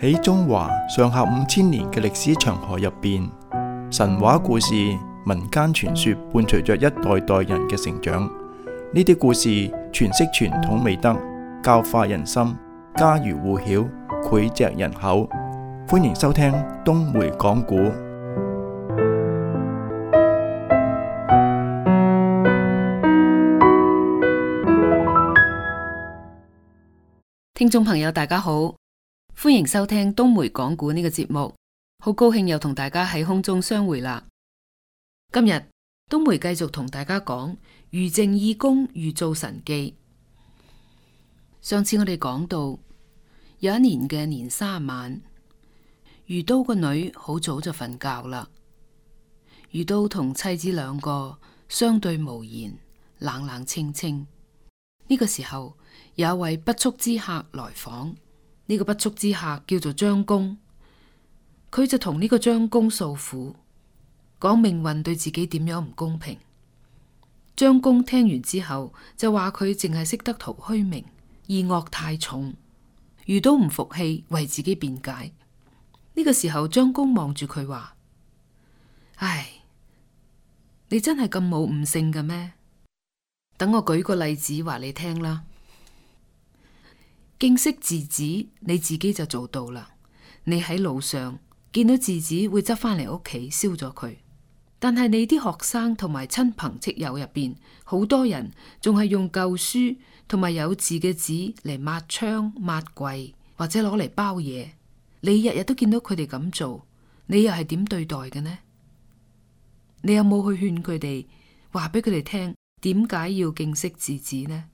喺中華上下5000年嘅歷史長河入邊，神話故事、民間傳說伴隨着一代代人嘅成長。呢啲故事詮釋傳統美德，教化人心，家喻戶曉，膾炙人口。歡迎收聽東梅講古。聽眾朋友大家好，歡迎收聽東梅講古呢個節目，好高興又同大家喺空中相會啦。今日東梅繼續同大家講余淨義公預造神記。上次我哋講到有一年嘅年卅晚，余都個女好早就瞓覺啦。余都同妻子兩個相對無言，冷冷清清。呢個時候有一位不速之客來訪，呢個不速之客叫做張公，佢就同呢個張公訴苦，講命運對自己點樣唔公平。張公聽完之後就話佢淨係識得圖虛名，義惡太重。余都唔服氣，為自己辯解。呢個時候張公望住佢話：唉，你真係咁冇悟性嘅咩？等我舉個例子話你聽啦。敬惜稚子，你自己就做到啦。你喺路上見到稚子會執翻嚟屋企燒咗佢，但係你啲學生同埋親朋戚友入邊，好多人仲係用舊書同埋有字嘅紙嚟抹窗、抹櫃或者攞嚟包嘢。你日日都見到佢哋咁做，你又係點對待嘅呢？你有冇去勸佢哋，話俾佢哋聽點解要敬惜稚子呢？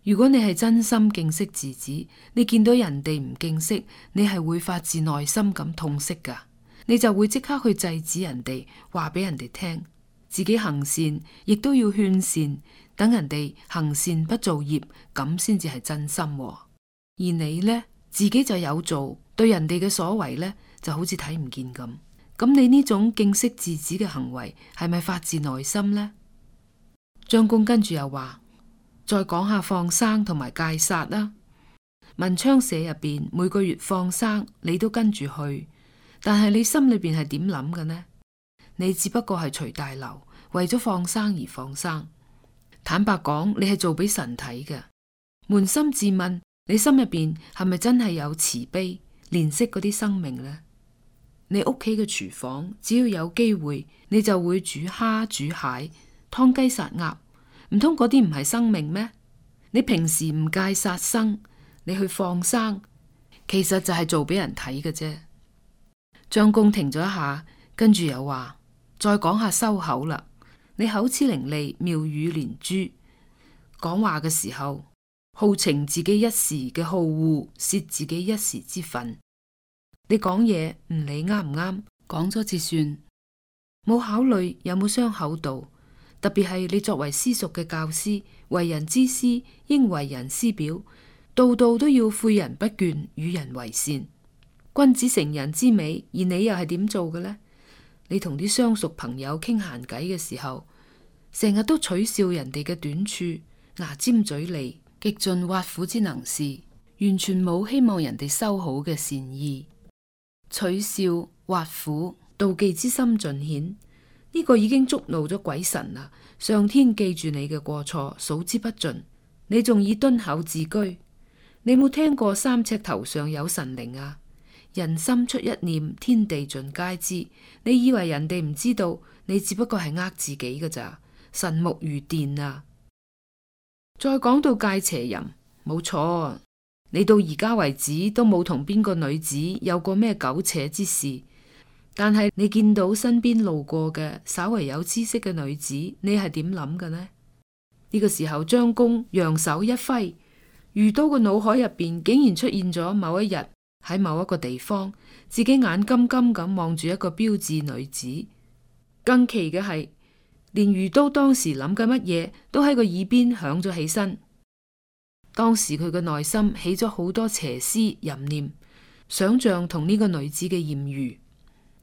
如果你係真心敬惜稚子，你見到人哋唔敬惜，你係會發自內心咁痛惜噶，你就會即刻去制止人哋，話俾人哋聽，自己行善亦都要勸善，等人哋行善不造業，咁先至係真心。而你呢，自己就有做，對人哋嘅所為呢，就好似睇唔見咁。咁你呢種敬惜稚子嘅行為係咪發自內心呢？張公跟住又話：再講下放生同埋戒殺啦。文昌社入邊每個月放生，你都跟住去，但係你心裏邊係點諗嘅呢？你只不過係隨大流，為咗放生而放生。坦白講，你係做俾神睇嘅。捫心自問，你心入邊係咪真係有慈悲憐惜嗰啲生命呢？你屋企嘅廚房，只要有機會，你就會煮蝦煮蟹、劏雞殺鴨，唔通嗰啲唔係生命咩？你平時唔戒殺生，你去放生，其實就係做俾人睇嘅啫。張公停咗一下，跟住又話：再講下收口啦。你口齒伶俐，妙語連珠，講話嘅時候好逞自己一時嘅好惡，泄自己一時之憤。你講嘢唔理啱唔啱，講咗至算，冇考慮有冇傷口度。特別係你作為私塾嘅教師，為人之師應為人師表，度度都要誨人不倦，與人為善。君子成人之美，而你又係點做嘅呢？你同啲相熟朋友傾閒偈嘅時候，成日都取笑人哋嘅短處，牙尖嘴利，極盡挖苦之能事，完全冇希望人哋修好嘅善意。取笑、挖苦、妒忌之心盡顯，呢個已經觸怒咗鬼神啦！上天記住你嘅過錯，數之不盡，你仲以敦厚自居？你冇聽過三尺頭上有神靈啊？人心出一念，天地盡皆知。你以為人哋唔知道，你只不過係呃自己㗎咋？神目如電啊！再講到戒邪淫，冇錯，你到而家為止都冇同邊個女子有過咩苟且之事。但係你見到身邊路過嘅稍為有知識嘅女子，你係點諗嘅呢？呢個時候張公揚手一揮，余都個腦海入邊竟然出現咗某一日喺某一個地方，自己眼金金咁望住一個標致女子。更奇嘅係，連余都當時諗緊乜嘢都喺個耳邊響咗起身。當時佢嘅內心起咗好多邪思淫念，想象同呢個女子嘅艷遇。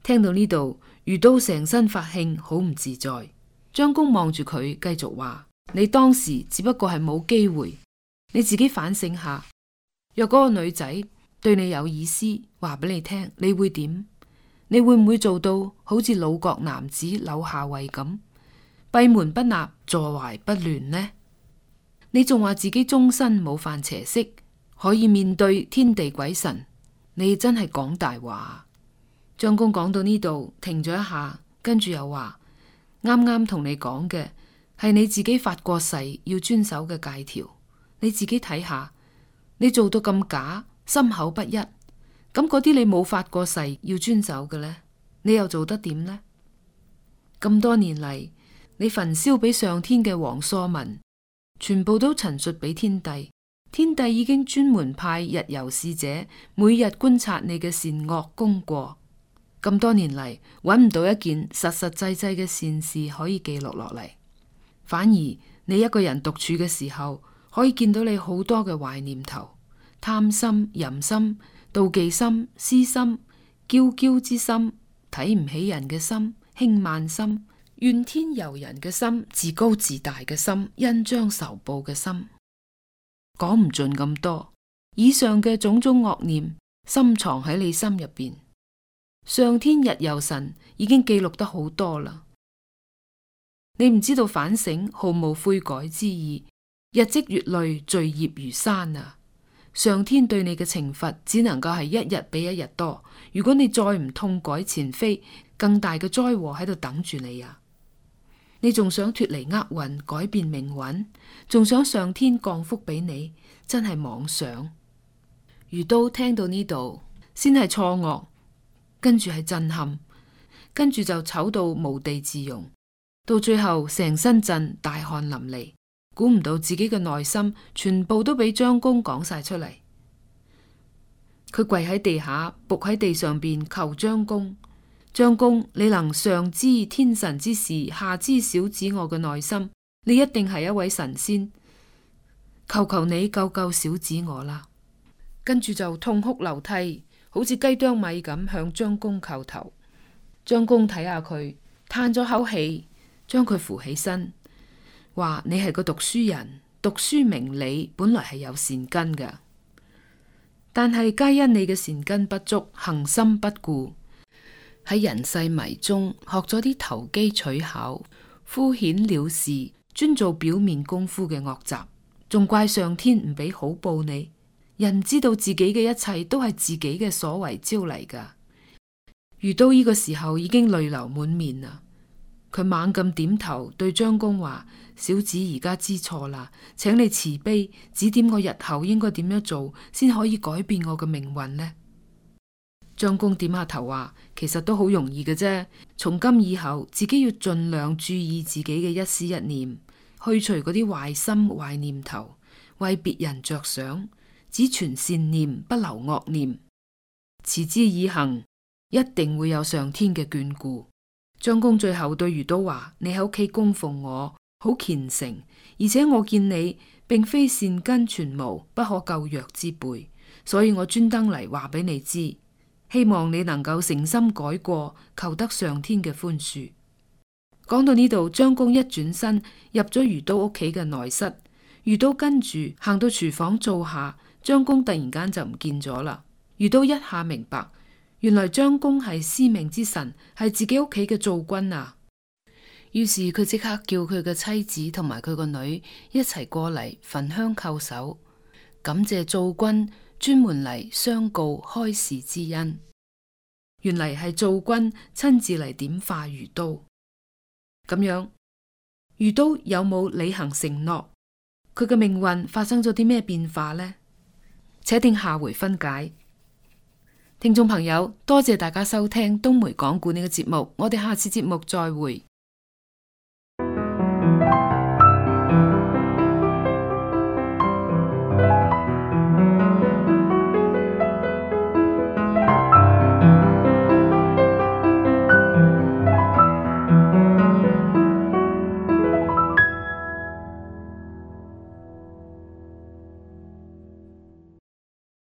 聽到呢度，余都成身發興，好唔自在。張公望住佢，繼續話：你當時只不過係冇機會，你自己反省下。若嗰個女仔對你有意思，話俾你聽，你會點？你會唔會做到好似魯國男子柳下惠咁，閉門不納，坐懷不亂呢？你仲話自己終身冇犯邪色，可以面對天地鬼神，你真係講大話。張公講到呢度停咗一下，跟住又話：啱啱同你講嘅係你自己發過誓要遵守嘅戒條，你自己睇下，你做到咁假，心口不一，咁嗰啲你冇發過誓要遵守嘅呢，你又做得點呢？咁多年嚟，你焚燒俾上天嘅黃樗文，全部都陳述俾天帝，天帝已經專門派日遊使者，每日觀察你嘅善惡功過。咁多年嚟，揾唔到一件實實際際嘅善事可以記錄落嚟，反而你一個人獨處嘅時候，可以見到你好多嘅壞念頭，貪心、淫心、妒忌心、私心、驕驕之心、睇唔起人嘅心、輕慢心、怨天尤人嘅心、自高自大嘅心、恩將仇報嘅心，講唔盡咁多。以上嘅種種惡念，深藏喺你心入邊。上天日遊神已經記錄得好多啦，你唔知道反省，毫無悔改之意，日積月累，罪孽如山啊！上天對你嘅懲罰只能夠係一日比一日多。如果你再唔痛改前非，更大嘅災禍喺度等住你啊！你仲想脫離厄運，改變命運，仲想上天降福俾你，真係妄想。余都聽到呢度，先係錯愕。跟住係震撼，跟住就醜到無地自容，到最後成身震，大汗淋漓，估唔到自己嘅內心全部都俾張公講晒出嚟。佢跪喺地下，伏喺地上邊求張公：張公，你能上知天神之事，下知小子我嘅內心，你一定係一位神仙，求求你救救小子我啦！跟住就痛哭流涕，好似雞啄米咁向張公叩頭。張公睇下佢，嘆咗口氣，將佢扶起身，話：你係個讀書人，讀書明理本來係有善根嘅，但係皆因你嘅善根不足，恒心不顧，喺人世迷中學咗啲投機取巧、敷衍了事、專做表面功夫嘅惡習，仲怪上天唔俾好報你。人知道自己嘅一切都係自己嘅所為招嚟噶。余都呢個時候已經淚流滿面啦，佢猛咁點頭對張公話：小子而家知錯啦，請你慈悲指點我日後應該點樣做，先可以改變我嘅命運呢？張公點下頭話：其實都好容易嘅啫，從今以後自己要盡量注意自己嘅一思一念，去除嗰啲壞心壞念頭，為別人着想，只存善念，不留惡念，持之以恆，一定會有上天嘅眷顧。張公最後對余都話：你喺屋企供奉我，好虔誠，而且我見你並非善根全無、不可救藥之輩，所以我專登嚟話俾你知，希望你能夠誠心改過，求得上天嘅寬恕。講到呢度，張公一轉身入咗余都屋企嘅內室，余都跟住行到廚房坐下。張公突然間就唔見咗啦，余都一下明白，原來張公係司命之神，係自己屋企嘅灶君啊。於是佢即刻叫佢嘅妻子同埋佢個女一齊過嚟焚香叩首，感謝灶君專門嚟相告開示之恩。原嚟係灶君親自嚟點化余都。咁樣，余都有冇履行承諾？佢嘅命運發生咗啲咩變化呢？且聽下回分解。聽眾朋友，多謝大家收聽東梅講故呢個節目，我哋下次節目再會。